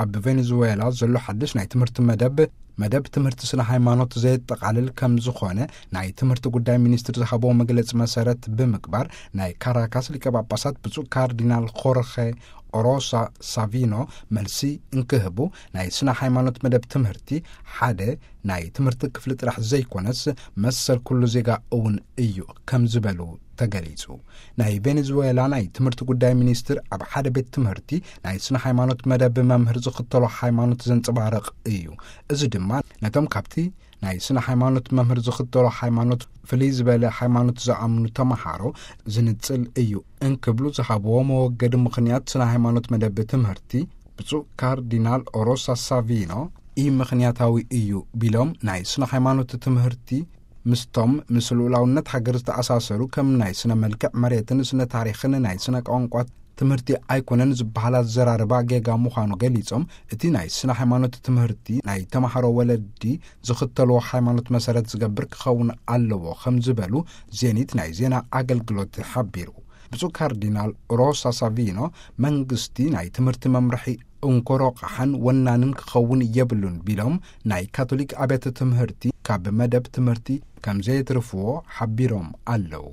ኣብ ቬኔዙዌላ ዘሎ ሓድሽ ናይ ትምህርቲ መደብ፣ መደብ ትምህርቲ ስነ ሃይማኖት ዘየጠቓልል ከም ዝኾነ ናይ ትምህርቲ ጉዳይ ሚኒስትር ዝሃበዎ መግለጺ መሰረት ብምግባር፣ ናይ ካራካስ ሊቀ ጳጳሳት ብፁዕ ካርዲናል ኾርኸ ኦሮሳ ሳቪኖ መልሲ እንክህቡ፣ ናይ ስነ ሃይማኖት መደብ ትምህርቲ ሓደ ናይ ትምህርቲ ክፍሊ ጥራሕ ዘይኮነስ፣ መሰል ኩሉ ዜጋ እውን እዩ ከም ዝበሉ ተገሊጹ። ናይ ቬኔዙዌላ ናይ ትምህርቲ ጉዳይ ሚኒስትር ኣብ ሓደ ቤት ትምህርቲ ናይ ስነ ሃይማኖት መደብ መምህር ዝኽተሎ ሃይማኖት ዘንጸባርቕ እዩ። እዚ ድማ ነቶም ካብቲ ናይ ስነ ሃይማኖት መምህር ዝኽተሎ ሃይማኖት ፍልይ ዝበለ ሃይማኖት ዝኣምኑ ተመሃሮ ዝንጽል እዩ እንክብሉ ዝሃብዎ መወገዲ ምኽንያት ስነ ሃይማኖት መደብ ትምህርቲ ብፁዕ ካርዲናል ኦሮሳ ሳቪኖ ኢ ምኽንያታዊ እዩ ቢሎም፣ ናይ ስነ ሃይማኖት ትምህርቲ ምስቶም ምስ ልኡላውነት ሃገር ዝተኣሳሰሩ ከም ናይ ስነ መልክዕ መሬትን ስነ ታሪኽን ናይ ስነ ቋንቋ ትምህርቲ ኣይኮነን ዝበሃል ኣዘራርባ ጌጋ ምዃኑ ገሊጾም፣ እቲ ናይ ስነ ሃይማኖት ትምህርቲ ናይ ተማሃሮ ወለዲ ዝኽተልዎ ሃይማኖት መሰረት ዝገብር ክኸውን ኣለዎ ከም ዝበሉ ዜኒት ናይ ዜና ኣገልግሎት ሓቢሩ። ብፁዕ ካርዲናል ሮሳ ሳቪኖ መንግስቲ ናይ ትምህርቲ መምርሒ እንኮሮ ቃሓን ወናንን ክኸውን የብሉን ቢሎም፣ ናይ ካቶሊክ ኣብያተ ትምህርቲ ካብ መደብ ትምህርቲ ከም ዘየትርፍዎ ሓቢሮም ኣለዉ።